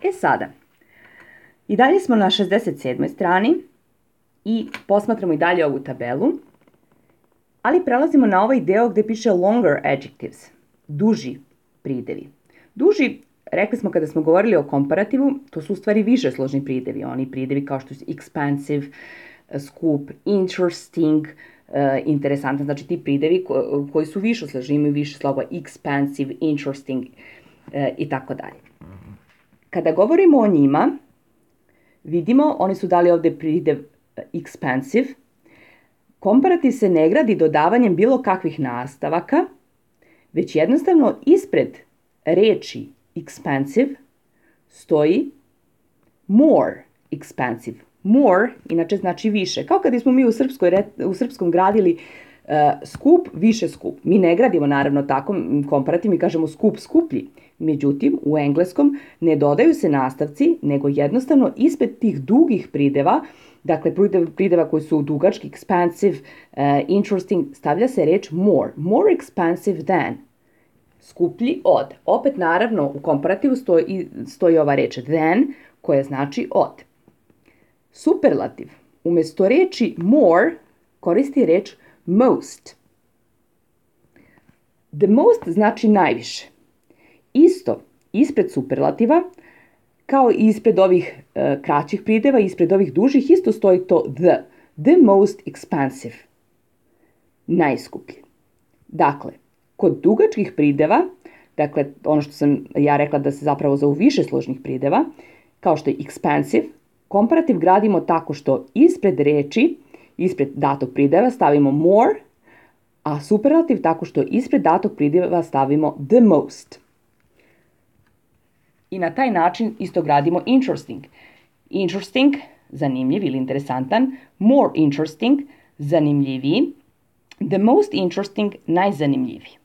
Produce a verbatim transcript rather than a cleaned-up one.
E sada, i dalje smo na šezdeset sedmoj strani i posmatramo i dalje ovu tabelu, ali prelazimo na ovaj deo gde piše longer adjectives, duži pridevi. Duži, rekli smo kada smo govorili o komparativu, to su u stvari više složni pridevi, oni pridevi kao što su expansive, skup, interesting, uh, interesantan, znači ti pridevi ko, koji su više složni, imaju više slogova, expansive, interesting uh, i tako dalje. Kada govorimo o njima, vidimo, oni su dali ovde pridev expansive. Komparativ se ne gradi dodavanjem bilo kakvih nastavaka, već jednostavno ispred reči expansive stoji more expansive. More, inače znači više. Kao kada smo mi u, srpskoj, u srpskom gradili uh, skup, više skup. Mi ne gradimo naravno tako komparativ, mi kažemo skup skuplji. Međutim, u engleskom ne dodaju se nastavci, nego jednostavno ispred tih dugih prideva, dakle prideva koji su dugački, expansive, uh, interesting, stavlja se reč more. More expensive than. Skuplji od. Opet naravno u komparativu stoji, stoji ova reč than, koja znači od. Superlativ umesto reči more koristi reč most. The most znači najviše. Isto, ispred superlativa, kao i ispred ovih uh, kraćih prideva, ispred ovih dužih, isto stoji to the. The most expensive. Najskuplji. Dakle, kod dugačkih prideva, dakle, ono što sam ja rekla da se zapravo zovu više složnih prideva, kao što je expensive, komparativ gradimo tako što ispred reči, ispred datog prideva stavimo more, a superlativ tako što ispred datog prideva stavimo the most. I na taj način isto gradimo interesting. Interesting, zanimljiv ili interesantan, more interesting, zanimljiviji, the most interesting, najzanimljiviji.